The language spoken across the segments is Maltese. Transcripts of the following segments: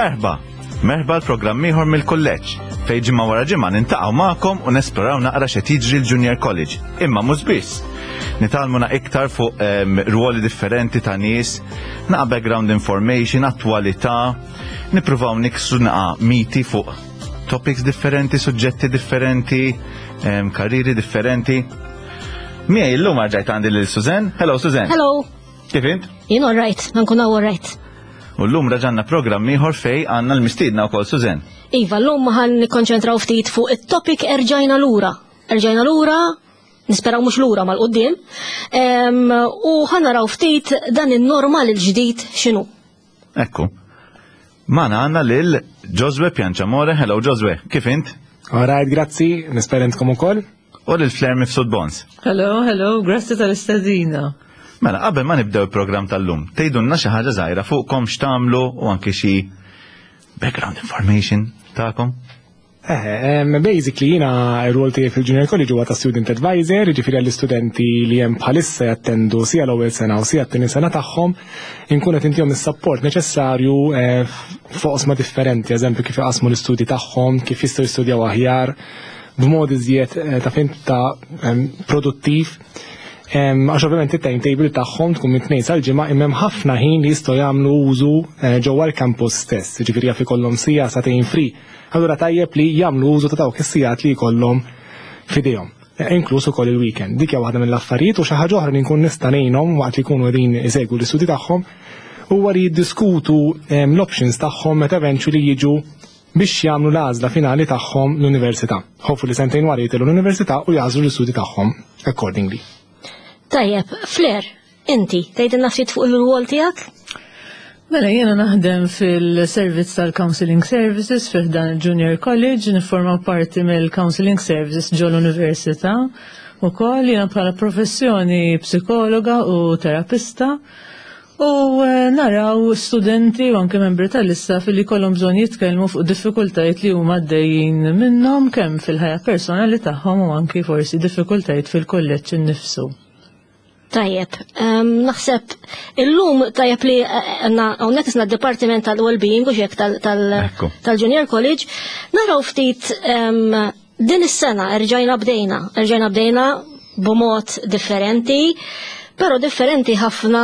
Merħba! Merħba l-programm ieħor mill-kulleġġ, fejn ġimgħa wara ġimgħa nintaqgħu magħkom u nesploraw naqra x'qed jiġri l-Junior College. Imma mhux biss. Nitgħallmu iktar fuq ruoli differenti ta' nies, naqa' background information, attwalità, nippruvaw niksru naqa' miti fuq topics differenti, suġġetti differenti, karriri differenti. Miegħi llum rġajt għandi lil Suzanne. Hello Suzanne. Hello. Kif int? Jien all right, nkun all right. U llum raġanna programm ieħor fej għandna l-mistiedna wkoll Suzanne. Iva, llum ħan nikkonċentraw ftit fuq it-topic erġajna lura. Erġajna lura, nisperaw mhux lura mal-qudiem, u ħan naraw ftit dan in-normal il-ġdid x'inhu. Ekku. Magħna għandna lil Josue Pianciamore. Hello Josue, kif int? All right, grazzi, nispera intkom ukoll. U lil Flair Mifsud Bons. Hello, hello, grazzi tal-istedina. Mela, qabel ma nibdew il-programm tal-lum, tgħidulna xi ħaġa żgħira fuqkom x'tagħmlu u anke xi background information tagħkom. Basically jiena r-rol tiegħi fil-Junior College huwa ta' student advisor, jiġifieri għall-istudenti li hemm bħalissa jattendu sia l-ewwel sena u sia t-tieni sena tagħhom, inkun qed intihom is-support neċessarju fuq oqsma differenti, eżempju kif iqasmu l-istudji tagħhom, kif jistgħu jistudjaw aħjar, b'mod iżjed ta' fint ta' produttiv. Għax ovvjament it-timetable tagħhom tkun minn tnejn sal-ġimgħa imma hemm ħafna ħin li jistgħu jagħmlu użu ġewwa l-campus stess, jiġifieri jaf ikollhom siegħa sagħtejn free. Allura tajjeb li jagħmlu użu ta' dawk is-sigħat li jkollhom f'idejhom, inkluż ukoll il-weekend. Dik hija waħda mill-affarijiet u xi ħaġa oħra li nkun nista' ngħinhom waqt li jkunu qegħdin isegwu l-istudji tagħhom huwa li jiddiskutu l-options tagħhom meta eventually jiġu biex jagħmlu l-għażla finali tagħhom l-università. Hopefully sentejn wara jitilgħu l-università u jagħżlu l-istudji tagħhom accordingly. Tajjeb, Flair, inti tgħidilna ftit fuq il-rwol tiegħek? Mela jiena naħdem fil-servizz tal-Counseling Services fih dan il-Junior College, nifforma parti mill-Counseling Services ġol università Ukoll jiena bħala professjoni psikologa u terapista. U naraw studenti u anke membri tal-istaff li jkollhom bżonn jitkellmu fuq diffikultajiet li huma għaddejjin minnhom kemm fil-ħajja personali tagħhom u anki forsi diffikultajiet fil-kulleġġ innifsu. Tajjeb, naħseb illum tajjeb li għandna hawnhekk isna d-Dipartiment tal-Wellbeing u xek tal-Junior College, naraw ftit din is-sena erġajna bdejna, erġajna bdejna b'mod differenti, però differenti ħafna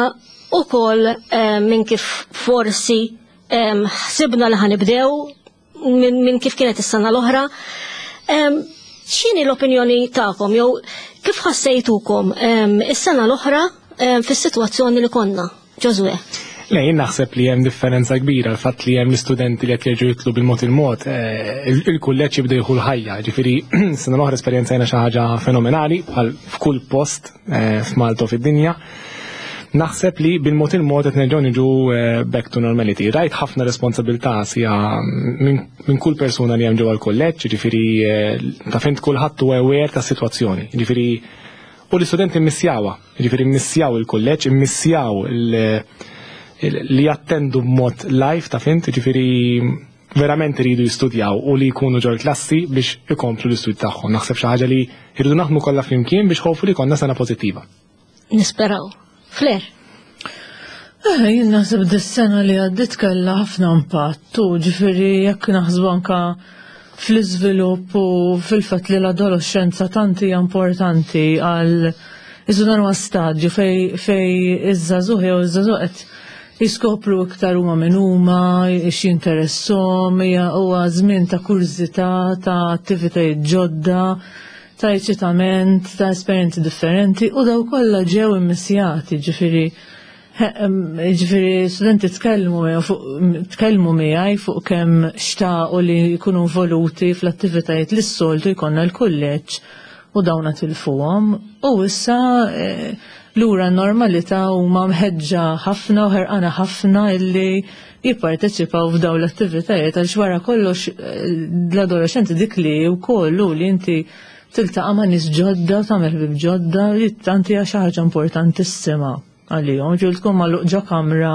ukoll minn kif forsi ħsibna li ħanibdew minn kif kienet is-sena l-oħra. X'inhi l-opinjoni tagħkom jew kif ħassejtukom is-sena l-oħra fis-sitwazzjoni li konna? Ġożwè. Le, jien naħseb li hemm differenza kbira l-fatt li hemm l-istudenti li qed jerġgħu jitlu bil-mod il-mod, il-kulleġġ jibda jieħu l-ħajja, ġifieri sena l-oħra esperjenzajna xi ħaġa fenomenali bħal f'kull post f'Malta u fid-dinja. Naħseb li bil-mod il-mod qed nerġgħu niġu back to normality. Rajt ħafna responsabilità sija minn kull persuna li hemm ġewwa l-kulleġġ, ġifieri ta' fint kulħadd huwa aware tas-sitwazzjoni. Ġifieri u l-istudenti mmissjawha. Jiġifieri mmissjaw il-kulleġġ, immissjaw li jattendu b'mod live ta' fint, jiġifieri verament iridu jistudjaw u li jkunu ġol klassi biex ikomplu l-istudji tagħhom. Naħseb xi ħaġa li jridu naħdmu kollha flimkien biex hopefully jkollna sena pożittiva. Nisperaw. Flair. Eh, jien naħseb dis-sena li għaddit kellha ħafna impatt u ġifieri jekk naħsbu anka fl-iżvilupp u fil-fatt li l-adolescenza tant hija importanti għal iżu dan huwa stadju fej fej iż-żagħżugħ jew iż-żagħżugħ qed jiskopru iktar huma min huma, x'jinteresshom, hija huwa żmien ta' kurżità, ta' attivitajiet ġodda, ta' eċitament, ta' esperjenzi differenti u daw kollha ġew immissjati, ġifieri ġifieri studenti tkellmu tkellmu miegħi fuq kemm xtaqu li jkunu involuti fl-attivitajiet li s-soltu jkollna l-kulleġġ u dawna tilfuhom u issa lura n-normalità huma mħeġġa ħafna u ħerqana ħafna illi jipparteċipaw f'dawn l-attivitajiet għaliex wara kollox l-adolescenti dik li wkoll hu li inti tiltaqa' ma' nies ġodda u tagħmel ħbieb ġodda li tant hija xi ħaġa importantissima għalihom. Ġieli tkun magħluq ġo kamra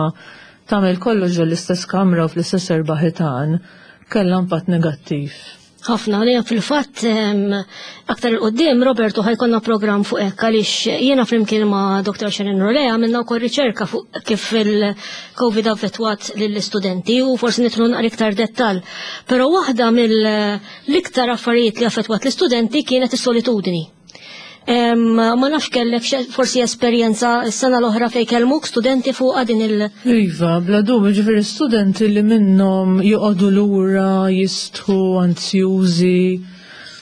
tagħmel kollox ġo l-istess kamra u fl-istess erba' ħitan kellha impatt negattiv. Ħafna, li fil-fatt aktar il-qoddim Roberto ħa jkollna programm fuq hekk għaliex jiena flimkien ma' Dr. Sharon Rolea għamilna wkoll riċerka fuq kif il-Covid affettwat lill-istudenti u forsi nidħlu naqra iktar dettal. Però waħda mill-iktar affarijiet li affettwat l-istudenti kienet is-solitudni. Ma nafx kellek forsi esperjenza s-sena l-oħra fejn kellmuk studenti fuq din il- Iva, bla dubju, ġifieri studenti li minnhom joqogħdu lura, jistħu, anzjużi,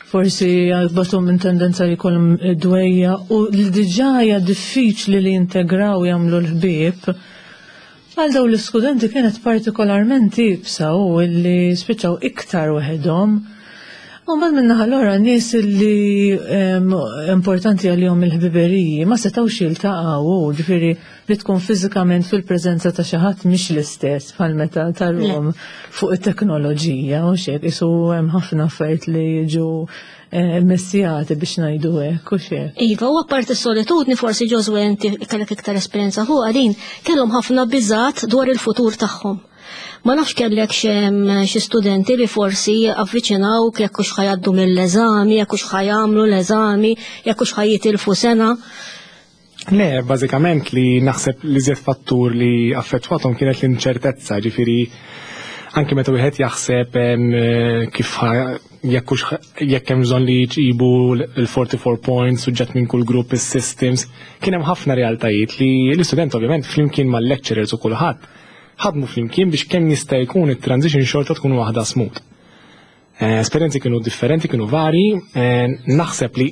forsi għalbatom minn tendenza li jkollhom dwejjaq u li diġà hija diffiċli li jintegraw jagħmlu l-ħbieb. Għal dawn l-istudenti kienet partikolarment iebsa u li spiċċaw iktar waħedhom. U mbagħad min-naħa l-oħra nies li importanti għalihom il-ħbiberiji ma setgħux jiltaqgħu, ġifieri li tkun fiżikament fil-preżenza ta' xi ħadd mhix l-istess bħal meta tarhom fuq it-teknoloġija u xek, isu hemm ħafna affarijiet li jiġu messijati biex ngħidu hekk u xek. Iva, u apparti s-solitudni forsi Ġożwè inti kellek iktar esperjenza fuq din, kellhom ħafna biżat dwar il-futur tagħhom. Ma nafx kellek xi studenti li forsi avviċinawk jekk hux ħa jgħaddu mill-eżami, jekk hux ħa jagħmlu l-eżami, jekk hux ħa jitilfu sena. Le, bażikament li naħseb li żied fattur li affettwathom kienet l-inċertezza, ġifieri anke meta wieħed jaħseb kif jekk hemm bżonn li jġibu l-44 points, suġġett minn kull grupp, is-systems, kien hemm ħafna realtajiet li l-istudent ovvjament flimkien mal-lecturers u kulħadd ħadmu flimkien biex kemm jista' jkun it-transition xorta tkun waħda smooth. Esperjenzi kienu differenti, kienu vari, naħseb li,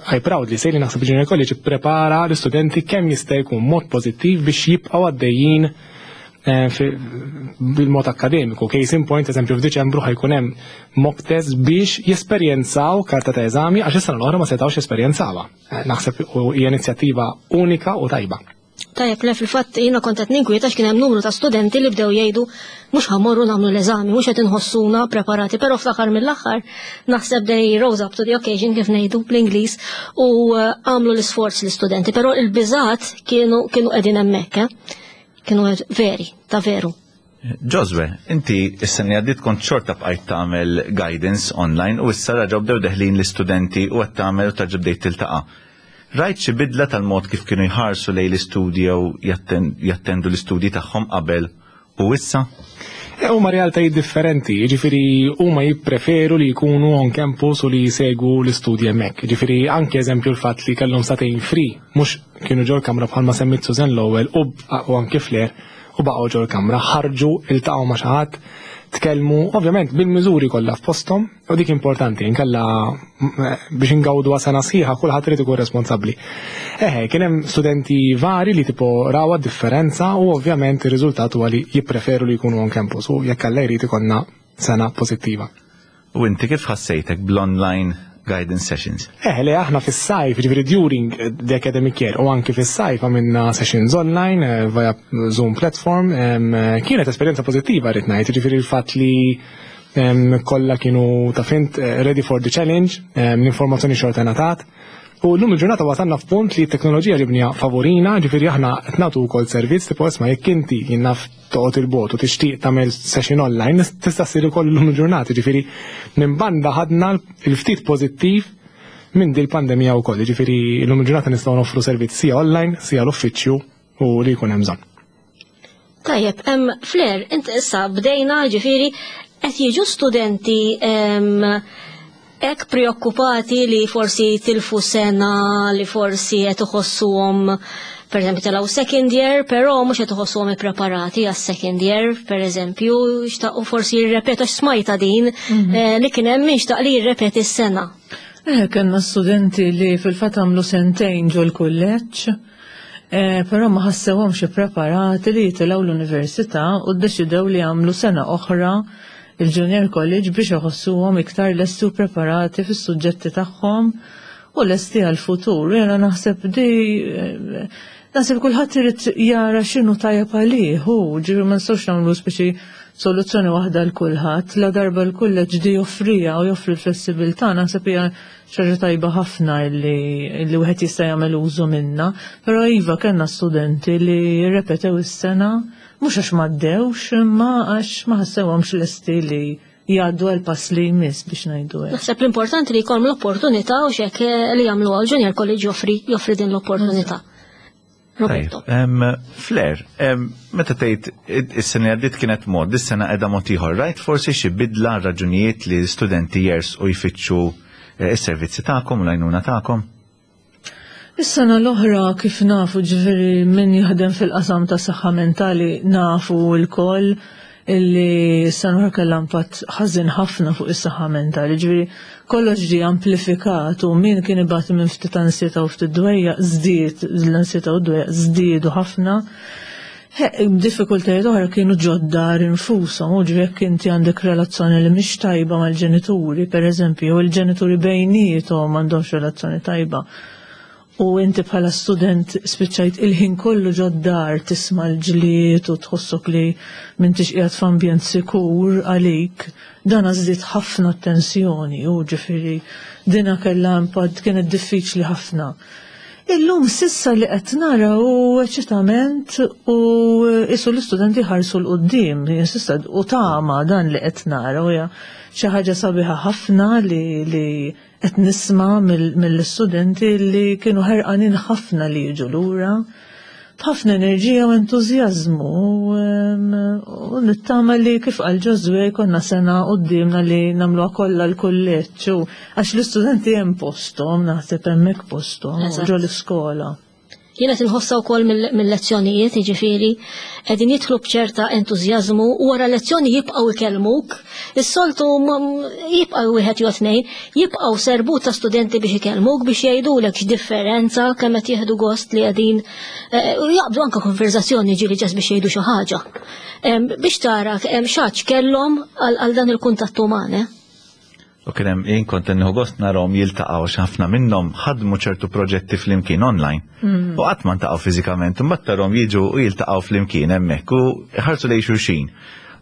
I proudly say li naħseb Junior College prepara l-istudenti kemm jista' jkun mod pożittiv biex jibqgħu għaddejjin bil-mod akademiku. Case in point, eżempju, f'Diċembru ħa jkun hemm mock test biex jesperjenzaw karta ta' eżami għax is-sena l-oħra ma setgħux jesperjenzawha. Naħseb hija inizjattiva unika u tajba. Tajjeb, le fil-fatt jiena kont qed ninkwieta kien hemm numru ta' studenti li bdew jgħidu mhux ħa mmorru nagħmlu l-eżami, mhux qed inħossuna preparati, però fl-aħħar mill-aħħar naħseb they rose up to the occasion kif ngħidu bl-Ingliż u għamlu l-isforz l-istudenti, però il-biżat kienu qegħdin hemmhekk, eh? Kienu veri, ta' veru. Ġożwè, inti s-sena li għaddiet kont xorta bqajt tagħmel guidance online u issa raġgħu bdew deħlin l-istudenti u qed tagħmel u terġa' bdejt tiltaqa'. Rajt xi bidla tal-mod kif kienu jħarsu lejn l-istudji jew jattendu l-istudji tagħhom qabel u issa? Huma realtajiet differenti, jiġifieri huma jippreferu li jkunu on campus u li jsegwu l-istudji hemmhekk. Jiġifieri anke eżempju l-fatt li kellhom sagħtejn free, mhux kienu ġol kamra bħalma semmit Susan l-ewwel u anke Flair u baqgħu ġol kamra, ħarġu, iltaqgħu ma' xi ħadd, tkellmu, ovvjament bil-miżuri kollha f'posthom, u dik importanti, inkella biex ingawdu sena sħiħa kulħadd irid ikun responsabbli. Eħe, kien hemm studenti vari li tipo rawa differenza u ovvjament ir-riżultat huwa li jippreferu li jkunu on campus u jekk Alla jrid ikollna sena pożittiva. U inti kif ħassejtek bl-online guidance sessions? Le aħna fis-sajf, ġifieri during the academic year u anki fis-sajf għamilna sessions online via Zoom platform. Kienet esperjenza pożittiva rrid ngħid, ġifieri l-fatt li kollha kienu ta' fint ready for the challenge, l-informazzjoni xorta ngħatat. U l-lum il-ġurnata wasalna f'punt li t-teknoloġija ġibniha favorina, ġifieri aħna qed nagħtu wkoll servizz tipo isma' jekk inti jien naf toqgħod il-bogħod u tixtieq tagħmel session online, tista' ssir ukoll illum il-ġurnata, ġifieri minn banda ħadna il-ftit pożittiv minn dil pandemija wkoll, ġifieri llum il-ġurnata nistgħu noffru servizz sia online, sia l-uffiċċju u li jkun hemm bżonn. Tajjeb, Flair, int issa bdejna ġifieri qed jiġu studenti hekk preokkupati li forsi tilfu sena, li forsi qed iħossuhom per eżempju telgħu second year, però mhux qed iħossuhom ippreparati għas second year, per eżempju, xtaqu forsi jirrepetu smajta din li kien hemm min xtaq li jirrepeti s-sena. Kellna studenti li fil-fatt għamlu sentejn ġol kulleġġ, però ma ħassewhomx ippreparati li jitilgħu l-università u ddeċidew li jagħmlu sena oħra il-Junior College biex iħossuhom iktar lesti u preparati fis-suġġetti tagħhom u lesti għal-futur. Jena naħseb di naħseb kulħadd irid jara x'inhu tajjeb għalih, hu ġifieri ma nistgħux nagħmlu speċi soluzzjoni waħda l kulħadd, la darba l-kulleġġ di joffrija u joffri l-flessibilità, naħseb hija xi tajba ħafna li wieħed jista' jagħmel użu minnha. Però iva kellna studenti li repetew is-sena mhux għax m'għaddewx, imma għax ma ħassewhomx lesti li jgħaddu għal pass li jmiss biex ngħidu hekk. Naħseb l-importanti li jkollhom l-opportunità u xek li jagħmlu għal Junior College joffri din l-opportunità. Roberto. Flair, meta tgħid is-sena li għaddiet kienet mod, dis-sena qiegħda mod ieħor, rajt forsi xi bidla raġunijiet li studenti jers u jfittxu is-servizzi tagħkom u l-għajnuna tagħkom? Is-sena l-oħra kif nafu ġifieri min jaħdem fil-qasam ta' saħħa mentali nafu lkoll illi s-sena l-oħra kellha impatt ħażin ħafna fuq is-saħħa mentali, ġifieri kollox ġie amplifikat u min kien ibati minn ftit ansjetà u ftit dwejjaq żdied l-ansjetà u d-dwejjaq żdiedu ħafna. Diffikultajiet oħra kienu ġod-dar infushom, u ġifieri jekk inti għandek relazzjoni li mhix tajba mal-ġenituri, pereżempju, jew il-ġenituri bejniethom m'għandhomx relazzjoni tajba, u inti bħala student spiċċajt il-ħin kollu ġod-dar tisma' l-ġlied u tħossok li m'intix qiegħed f'ambjent sikur għalik, dan żdied ħafna t-tensjoni u ġifieri dina kellha impatt kienet diffiċli ħafna. Illum sissa li qed nara hu eċitament u isu l-istudenti ħarsu 'l quddiem, sissa u tama dan li qed nara u hija xi ħaġa sabiħa ħafna li li qed nisma' mill-istudenti li kienu ħerqanin ħafna li jiġu lura b'ħafna enerġija u entużjażmu u nittama li kif qal Ġożwè jkollna sena quddiemna li nagħmluha kollha l-kulleġġ u għax l-istudenti hemm posthom, naħseb hemmhekk posthom ġo l-iskola. Jiena qed inħossha wkoll mill-lezzjonijiet, jiġifieri qegħdin jidħlu b'ċerta entużjażmu u wara lezzjoni jibqgħu jkellmuk. Is-soltu jibqgħu wieħed jew tnejn, jibqgħu serbut ta' studenti biex ikellmuk biex jgħidulek x'differenza kemm qed jieħdu gost li qegħdin u jaqbdu anke konverżazzjoni ġieli ġas biex jgħidu xi ħaġa. Biex tara x'għatx kellhom għal dan il-kuntatt uman. U kien hemm jien kont nieħu gost narahom jiltaqgħu għax ħafna minnhom ħadmu ċertu proġetti flimkien online. U qatt ma ntaqgħu fiżikament, imbagħad tarahom jiġu u jiltaqgħu flimkien hemmhekk u jħarsu lejn xulxin.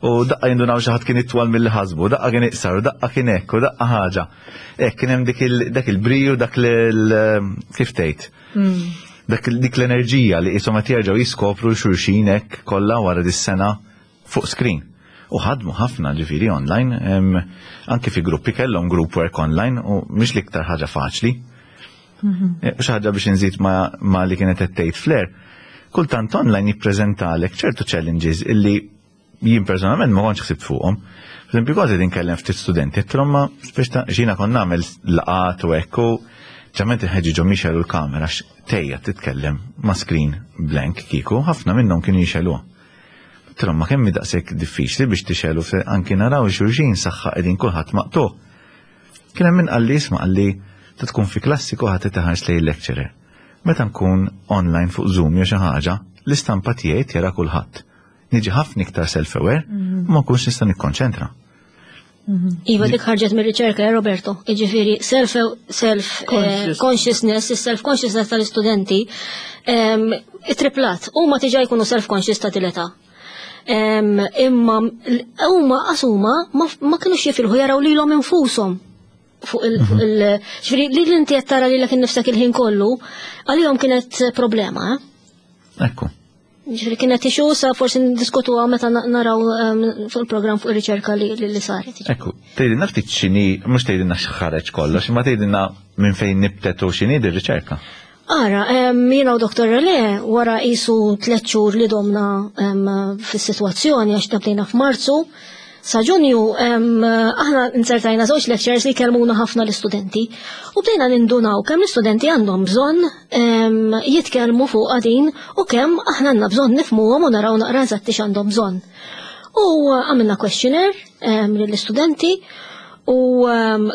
U daqqa jindunaw xi ħadd kien itwal milli ħasbu, daqqa kien iqsar, u daqqa kien hekk, u daqqa ħaġa. Hekk kien hemm dak il-briju, dak kif tgħid. Dak dik l-enerġija li qishom qed jerġgħu jiskopru l-xulxin hekk kollha wara dis-sena fuq screen. U ħadmu ħafna ġifieri online, anki fi gruppi kellhom group work online u mhix l-iktar ħaġa faċli. Xi ħaġa biex inżid ma li kienet qed tgħid Flair, kultant online jippreżentalek ċertu challenges illi jien personalment ma kontx ħsibt fuqhom. Per esempio, kważi din kellem ftit studenti, għedtilhom ma biex ta' xina kont nagħmel laqat u hekk u ġament inħeġġiġhom jixegħlu l-kamera għax tejja titkellem ma' screen blank kieku, ħafna minnhom kienu jixegħluha. Għedtilhom ma kemm hi daqshekk diffiċli biex tixegħlu fe anki naraw xulxin saħħa qegħdin kulħadd maqtugħ. Kien hemm min qalli isma' qalli ta' tkun fi klassi kulħadd qed iħares lejn il-lecturer. Meta nkun online fuq Zoom jew xi ħaġa, l-istampa tiegħi tjara kulħadd. Niġi ħafna iktar self-aware u ma nkunx nista' nikkonċentra. Iva, dik ħarġet mir-riċerka, Roberto. Jiġifieri self, self consciousness, self consciousness tal-istudenti triplat. Huma diġà jkunu self conscious ta' tileta. Imma huma qasuma ma kinux jifilħu jaraw lilhom infushom fuq il, ġifieri li inti qed tara lilek innifsek il-ħin kollu, għalihom kienet problema. Ekku. Ġifieri kienet issue sa forsi ndiskutuha meta naraw fuq il-programm fuq ir-riċerka li saret. Ekku, tgħidilna ftit x'inhi, mhux tgħidilna x'ħareġ kollox, imma tgħidilna minn fejn nibtet u x'inhi di riċerka. Ara, jiena u Dr. Rele wara qisu 3 xhur li domna fis-sitwazzjoni għax bdejna f'Marzu, sa Ġunju aħna insertajna żewġ lectures li kellmuna ħafna l-istudenti u bdejna nindunaw kemm l-istudenti għandhom bżonn jitkellmu fuq din u kemm aħna għandna bżonn nifhmuhom u naraw naqra eżatti x'għandhom bżonn. U għamilna questionnaire lill-istudenti u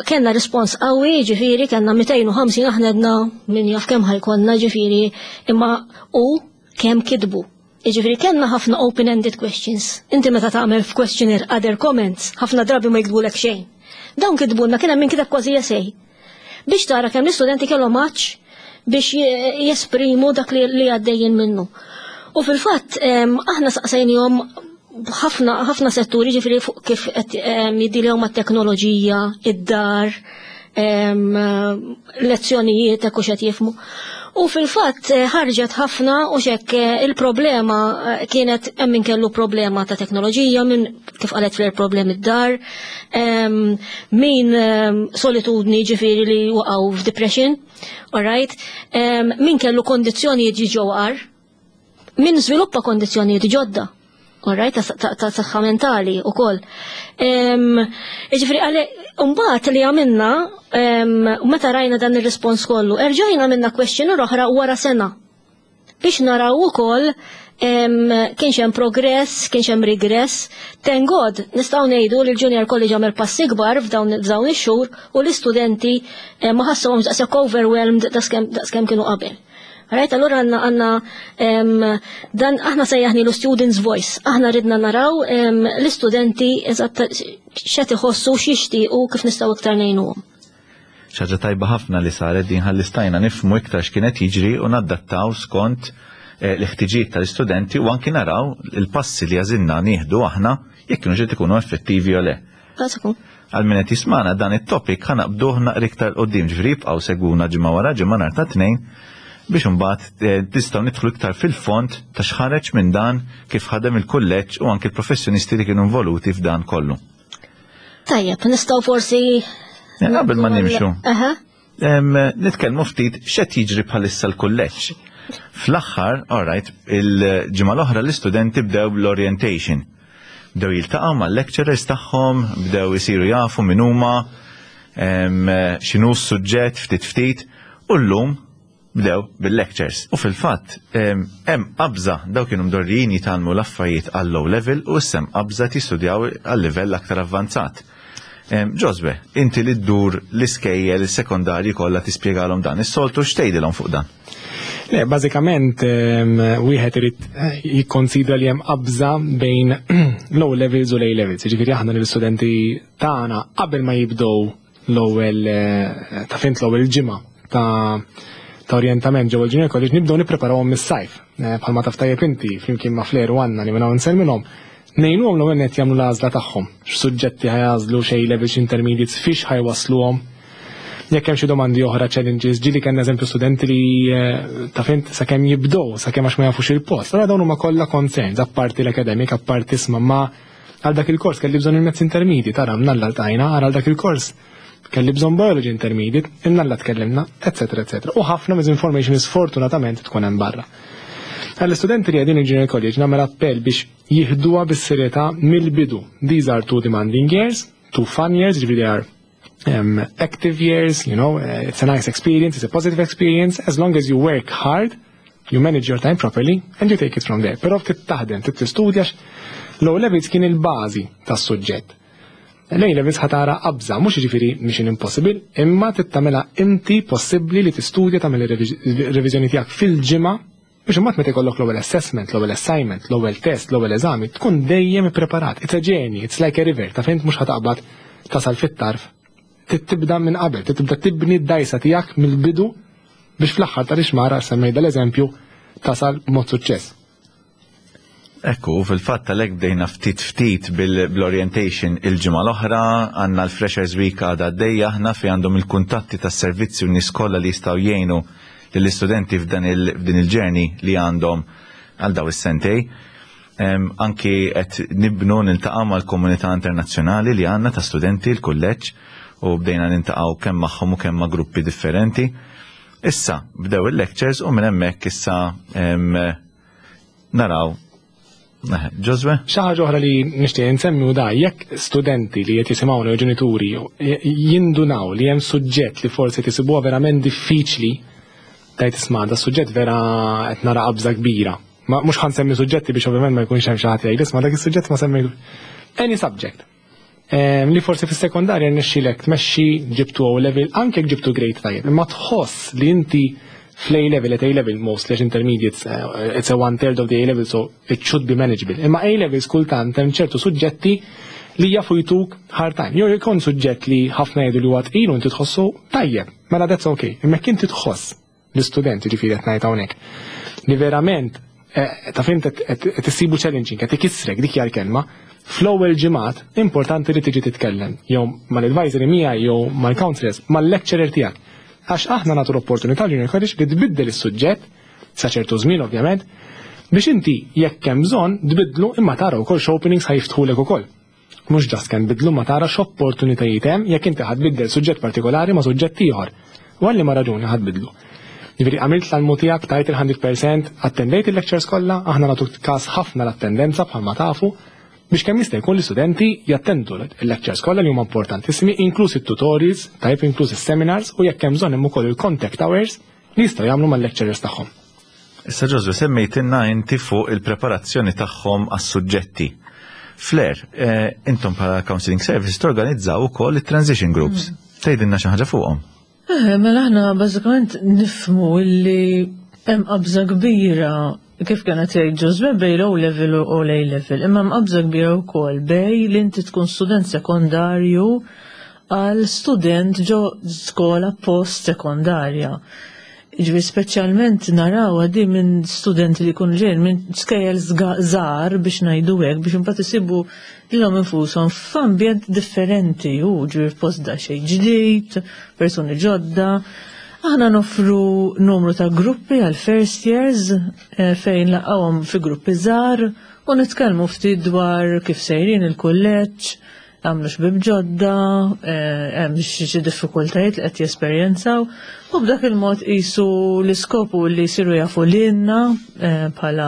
kellna rispons qawwi, ġifieri kellna 250 aħna għedna min jaf kemm ħajkonna ġifieri imma u kemm kitbu. Jiġifieri kellna ħafna open-ended questions. Inti meta tagħmel f'questionnaire other comments, ħafna drabi ma jiktbulek xejn. Dawn kitbulna kien hemm min kiteb kważi essay. Biex tara kemm l-istudenti kellhom għatx biex jesprimu dak li għaddejjin minnu. U fil-fatt aħna saqsejnihom ħafna ħafna setturi, ġifieri fuq kif qed jiddiljaw mat-teknoloġija, id-dar, lezzjonijiet, hekk u x'qed jifhmu. U fil-fatt ħarġet ħafna u xek il-problema kienet hemm min kellu problema ta' teknoloġija, min kif qalet fl problemi d-dar, min solitudni ġifieri li waqgħu f'depression, alright, min kellu kondizzjonijiet ġew agħar, min żviluppa kondizzjonijiet ġodda. Alright, ta' saħħa mentali u koll. Ġifieri, għale, mbagħad li għamilna, meta rajna dan il-respons kollu, erġajna għamilna questionnaire oħra wara sena. Biex naraw ukoll kienx hemm progress, kienx hemm regress. Thank God, nistgħu ngħidu li l-Junior College għamel passi kbar f'dawn ix-xhur u l-istudenti ma ħassuhomx daqshekk overwhelmed daqskemm kienu qabel. Right, allura għandna dan aħna sejjaħnielu Students Voice. Aħna ridna naraw l-istudenti eżatt x'qed iħossu, x'jixtiequ, kif nistgħu iktar ngħinuhom. Xi ħaġa tajba ħafna li saret din ħalli stajna nifhmu iktar x'kienet jiġri u naddattaw skont l-ħtiġijiet tal-istudenti u anki naraw il-passi li għażilna nieħdu aħna jekk kienu ġiet ikunu effettivi u le. Għal min qed jismana, dan it-topic ħa naqbduh naqra iktar qudiem, ġifieri jibqgħu segwuna ġimgħa wara ġimgħa nhar ta' Tnejn biex imbagħad tistgħu nidħlu iktar fil-fond ta' x'ħareġ minn dan, kif ħadem il-kulleġġ u anki l-professjonisti li kienu involuti f'dan kollu. Tajjeb, nistgħu forsi Qabel ma nimxu. Nitkellmu ftit x'qed jiġri bħalissa l-kulleġġ. Fl-aħħar, alright, il-ġimgħa l-oħra l-istudenti bdew l-orientation. Bdew jiltaqgħu mal-lecturers tagħhom, bdew isiru jafu min huma, x'inhu s-suġġett ftit ftit, u llum bdew bil-lectures. U fil-fatt, hemm qabża, daw kienu mdorrijin jitgħallmu l-affarijiet għall low level u issa hemm qabża jistudjaw għal livell aktar avvanzat. Joswe, inti li ddur l-iskejjel il-sekondarji kollha tispjegalhom dan, is-soltu x'tgħidilhom fuq dan? Le, bażikament wieħed irid jikkonsidra li hemm qabża bejn low levels u A levels. Jiġifieri aħna lill-istudenti tagħna qabel ma jibdew l-ewwel ta' fint l-ewwel ġimgħa ta' orjentament ġewwa l-Junior College nibdew nippreparawhom mis-sajf. Bħalma taf tajjeb inti flimkien ma' Flair u Anna li minn hawn nsellmilhom, ngħinuhom l-ewwel nett jagħmlu l-għażla tagħhom. X'suġġetti ħa jagħżlu, x'A levels, x'intermediates, fiex ħa jwassluhom. Jekk hemm xi domandi oħra, challenges, ġieli kellna eżempju studenti li ta' fint sakemm jibdew, sakemm għax ma jafux il-post. Allora dawn huma kollha concerns, apparti l-academic, apparti isma' ma għal dak il-kors kelli bżonn il-maths intermediate, ara mnalla ltqajna, ara għal dak il-kors kelli bżonn biology intermediate, imnalla tkellimna, eccetera, eccetera. U ħafna misinformation sfortunatament tkun hemm barra. Għall-istudenti li qegħdin il-Junior College nagħmel appell biex jieħduha bis-serjetà mill-bidu. These are two demanding years, two fun years, ġifieri they are active years, it's a nice experience, it's a positive experience, as long as you work hard, you manage your time properly, and you take it from there. Però trid taħdem, trid tistudja, low levels kien il-bażi tas-suġġett. L-A levels ħa tara qabża, mhux jiġifieri mission impossible, imma trid tagħmilha inti possibbli li tistudja, tagħmel ir-reviżjoni tiegħek fil-ġimgħa biex imbagħad meta jkollok l-ewwel assessment, l-ewwel assignment, l-ewwel test, l-ewwel eżami, tkun dejjem ippreparat. It's a journey, it's like a river, ta' fint mhux ħa taqbad tasal fit-tarf. Tibda minn qabel, tibda tibni d-dajsa tiegħek mill-bidu biex fl-aħħar ta' rixmara, semmejda l-eżempju, tasal b'mod suċċess. Ekku, fil-fatt għalhekk bdejna ftit ftit bil-orientation il-ġimgħa l-oħra, għandna l-Freshers Week għadha għaddejja aħna fi għandhom il-kuntatti tas-servizzi u nies kollha li jistgħu jgħinu lill-istudenti f'din il-journey li għandhom għal daw is-sentej. Anki qed nibnu niltaqgħu mal-komunità internazzjonali li għandna ta' studenti l-kulleġġ u bdejna niltaqgħu kemm magħhom u kemm ma' gruppi differenti. Issa bdew il-lectures u minn hemmhekk issa naraw. Joswe? Xi ħaġa oħra li nixtieq insemmi u da jekk studenti li qed jisimgħuna jew ġenituri jindunaw li hemm suġġett li forsi tisibuha verament diffiċli, tajt isma' da suġġett vera qed nara qabża kbira. Ma mhux ħa nsemmi suġġetti biex ovvjament ma jkunx hemm xi ħadd jgħid isma' dak is-suġġett ma semmi any subject. Li forsi fis-sekondarja rnexxilek tmexxi, ġibtu O level, anke jekk ġibtu grade tajjeb, imma tħoss li inti fl-A level, at A level mostly, għax intermediates, it's a one third of the A level, so it should be manageable. Imma A levels kultant hemm ċertu suġġetti li jafu jtuk hard time. Jew jkun suġġett li ħafna jgħidu li huwa tqil u inti tħossu tajjeb, mela that's okay. Imma jekk inti tħoss l-istudenti, ġifieri qed ngħid hawnhekk, li verament ta' fint qed issibu challenging, qed ikissrek, dik hija l-kelma, fl-ewwel ġimgħat importanti li tiġi titkellem jew mal-advisory miegħi jew mal-counselors, mal-lecturer tiegħek. Għax aħna nagħtu l-opportunità l-Junior College li tbiddel is-suġġett sa ċertu żmien ovvjament biex inti jekk hemm bżonn tbiddlu imma tara wkoll x'openings ħa jiftħulek ukoll. Mhux just kemm tbiddlu ma tara x'opportunitajiet hemm jekk inti ħa tbiddel suġġett partikolari ma' suġġett ieħor. U għal liema raġuni ħa tbiddlu. Jiġifieri għamilt l-almu tiegħek tajt il-100%, attendejt il-lectures kollha, aħna nagħtu każ ħafna l-attendenza bħalma tafu, biex kemm jista' jkun l-istudenti jattendu l-lectures kollha li huma importantissimi, inkluż it-tutorials, tajjeb inkluż is-seminars u jekk hemm bżonn hemm ukoll il-contact hours li jistgħu jagħmlu mal-lecturers tagħhom. Issa Ġożwe semmejtilna inti fuq il-preparazzjoni tagħhom għas-suġġetti. Flair, eh, intom bħala Counseling Service torganizzaw ukoll it-transition groups. Mm. Tgħidilna xi ħaġa fuqhom. Eh, mela aħna bażikament nifhmu illi hemm qabża kbira kif kienet jgħid Ġożwe bej l-O level u l-A level, imma hemm qabża kbira wkoll bej li inti tkun student sekondarju għal student ġo skola post sekondarja. Ġifieri speċjalment naraw di minn studenti li jkunu ġejjin minn skejjel żgħar biex ngħidu hekk biex imbagħad isibu lilhom infushom f'ambjent differenti u ġifieri f'post daqsxejn ġdid, persuni ġodda. Aħna noffru numru ta' gruppi għal first years eh, fejn laqgħuhom fi gruppi żgħar u nitkellmu ftit dwar kif sejrin il-kulleġġ, għamlu xbib ġodda, eh, hemm xi diffikultajiet li qed jesperjenzaw u b'dak il-mod qisu l-iskopu li jsiru jafu lilna eh, bħala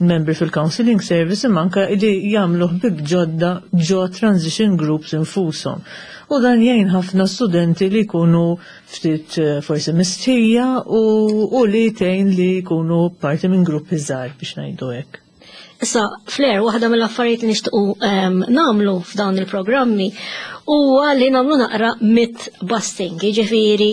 membri fil-counseling service imma anke li jagħmlu ħbib ġodda ġo transition groups infushom. U dan jgħin ħafna studenti li jkunu ftit eh, forsi mistħija u, u li tgħin li jkunu parti minn gruppi żgħar biex ngħidu hekk. Issa, Flair, waħda mill-affarijiet li nixtiequ ehm, nagħmlu f'dawn il-programmi huwa li nagħmlu naqra myth busting, jiġifieri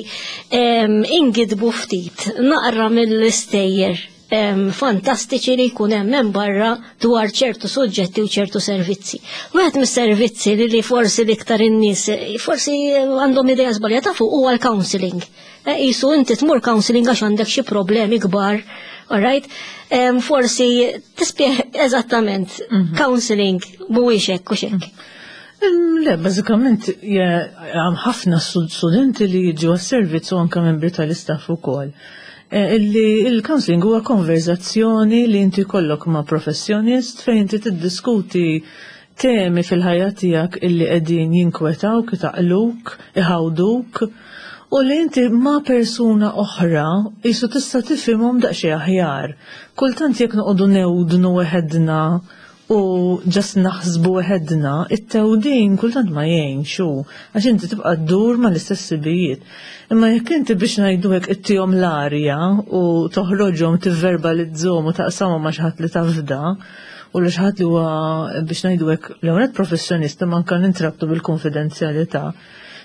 ehm, ingidbu ftit naqra mill-istejjer ehm, fantastiċi li jkun hemm hemm barra dwar ċertu suġġetti u ċertu servizzi. Wieħed mis-servizzi li, li forsi l-iktar in-nies forsi għandhom idea żbaljata fuq huwa l-counseling. Eh, Isu inti tmur counseling għax għandek xi problemi kbar, alright? Forsi tispjeg eżattament mhm. counseling mhuwiex hekk u x'hekk. Le, bażikament hemm ħafna studenti li jiġu għas-servizz u anke membri tal-istaff ukoll. Eh, illi il-counseling huwa konverzazzjoni li inti kollok ma' professjonist fejn inti tiddiskuti temi fil-ħajja tiegħek illi qegħdin jinkwetawk, itaqluk, iħawduk, u li inti ma' persuna oħra jisu tista' tifhimhom daqsxejn aħjar. Kultant jekk noqogħdu newdnu weħedna u ġast naħsbu weħedna, it-tewdin kultant ma jgħinx hu, għax inti tibqa' ddur mal-istess sibijiet. Imma jekk inti biex ngħidu hekk ittihom l-arja u toħroġhom tivverbalizzhom u taqsamhom ma' xi ħadd li tafda, u li xi ħadd li huwa biex ngħidu hekk l-ewwel professjonista ma anke nintrabtu bil-konfidenzjalità.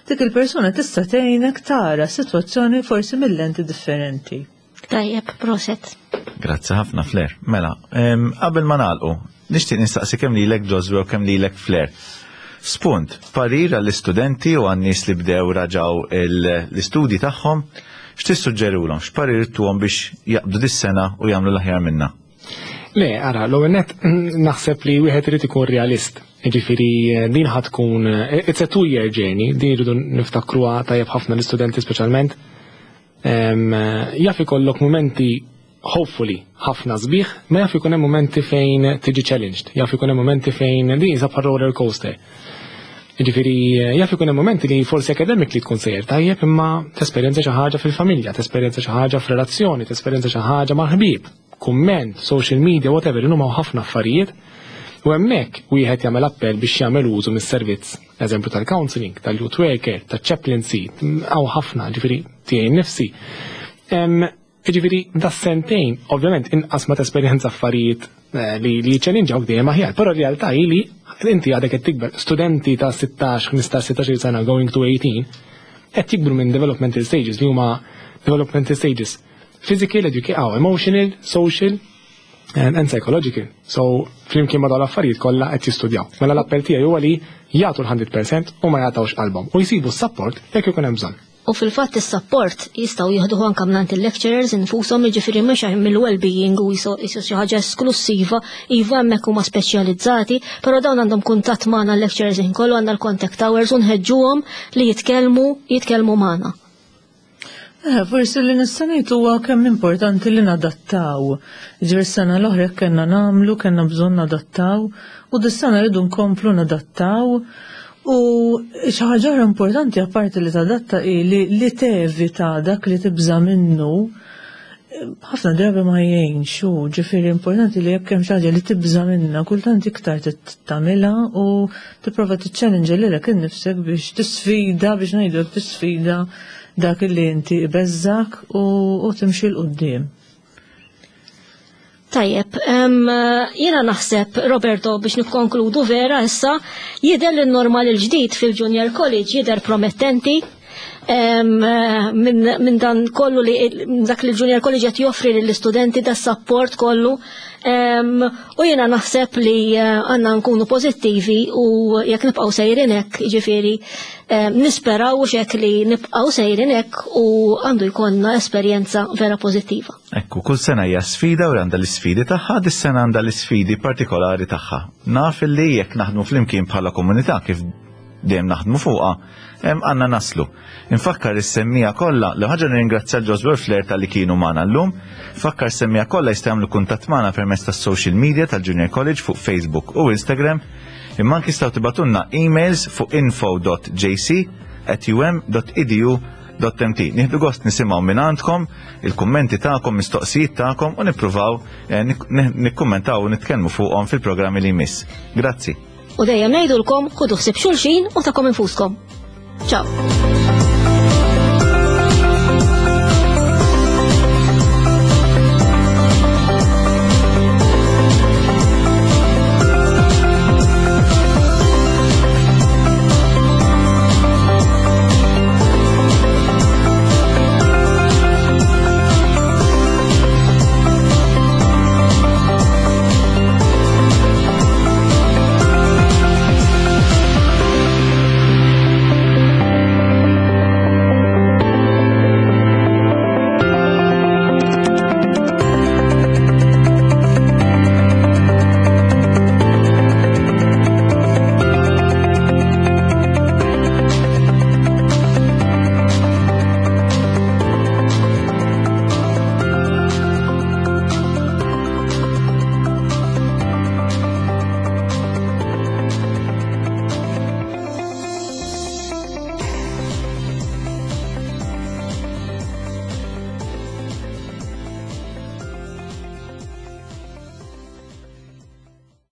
Dik il-persuna tista' tgħinek tara sitwazzjoni forsi mill-lenti differenti. Tajjeb, proset. Grazzi ħafna Flair. Mela, qabel ma nagħlqu, nixtieq nistaqsi kemm lilek Josue u kemm lilek Flair. Spunt, parir għall-istudenti u għan-nies li bdew raġaw l-istudji tagħhom, x'tissuġġerulhom, x'parir tuhom biex jaqbdu dis-sena u jagħmlu l-aħjar minnha? Le, ara, l-ewwel nett naħseb li wieħed irid ikun realist. Jiġifieri din ħa tkun it's a two year journey, din irridu niftakruha tajjeb ħafna l-istudenti speċjalment. Jaf ikollok mumenti hopefully ħafna sbieħ, ma jaf ikun hemm mumenti fejn tiġi challenged, jaf ikun hemm mumenti fejn din hija bħal roller coaster. Jiġifieri jaf ikun hemm mumenti li forsi academically tkun sejjer tajjeb imma tesperjenza xi ħaġa fil-familja, tesperjenza xi ħaġa f'relazzjoni, tesperjenza xi ħaġa mal-ħbieb, kumment, social media, whatever, huma ħafna affarijiet. U hemmhekk wieħed jagħmel appell biex jagħmel użu mis-servizz, eżempju tal-counseling, tal-youth worker, tal-chaplaincy, hawn ħafna, ġifieri tiegħi nnifsi. Jiġifieri da sentejn, ovvjament inqas ma tesperjenza affarijiet eh, li li jiċċellinġawk dejjem aħjar, però r-realtà hi li inti għadek qed tikber, studenti ta' 16, 15, 16 sena going to 18 qed jikbru minn developmental stages li huma developmental stages physical, educational, emotional, social and psychological. So flimkien ma' dawn l-affarijiet kollha qed jistudjaw. Mela l-appell tiegħi huwa li jagħtu l-100% u ma jagħtawx qalbhom u jsibu s-support jekk ikun hemm bżonn. U fil-fatt is-support jistgħu jieħduh anke mingħand il-lecturers infushom, jiġifieri mhux mill-well-being u jisu xi ħaġa esklussiva, iva hemmhekk huma speċjalizzati, però dawn għandhom kuntatt magħna l-lecturers il kollu għandna l-contact hours u nħeġġuhom li jitkellmu jitkellmu magħna. Eh, forsi li nista' ngħid huwa kemm importanti li nadattaw. Ġifieri s-sena l-oħra jekk kellna nagħmlu, kellna bżonn nadattaw u dis-sena rridu nkomplu nadattaw. U xi ħaġa oħra importanti apparti li tadatta hi li, li tevita dak li tibża' minnu ħafna drabi ma jgħinx u ġifieri importanti li jekk hemm xi ħaġa li tibża' minnha kultant iktar tagħmilha u tipprova tiċċellinġa lilek innifsek biex tisfida biex ngħidu tisfida dak li inti ibeżżak u, u timxi 'l quddiem. Tajjeb, jiena naħseb, Roberto, biex nikkonkludu vera issa, jidher li n-normal il-ġdid fil-Junior College jidher promettenti minn dan kollu li dak li l-Junior College qed joffri lill-istudenti da support kollu. U jiena naħseb li eh, għandna nkunu pożittivi u jekk nibqgħu sejrin hekk, jiġifieri nisperaw u xek li nibqgħu sejrin hekk u għandu jkollna esperjenza vera pożittiva. Ekku, kull sena hija sfida u għandha l-isfidi tagħha, dis-sena għandha l-isfidi partikolari tagħha. Naf li jekk naħdmu flimkien bħala komunità kif dejjem naħdmu fuqha, għandna naslu. Infakkar is-semmija kollha, l ħaġa nirringrazzja l-Joswell Flair tal-li kienu magħna llum. Fakkar semmija kollha jistgħu jagħmlu kuntatt magħna permezz tas-social media tal-Junior College fuq Facebook u Instagram. Imma anki jistgħu tibatunna emails fuq info.jc at um.edu.mt. Nieħdu gost nisimgħu minn għandkom il-kummenti tagħkom, mistoqsijiet tagħkom u nippruvaw eh, nikkummentaw u nitkellmu fuqhom fil-programmi li jmiss. Grazzi. U dejjem ngħidulkom ħudu ħsieb xulxin u takom infuskom. Ciao.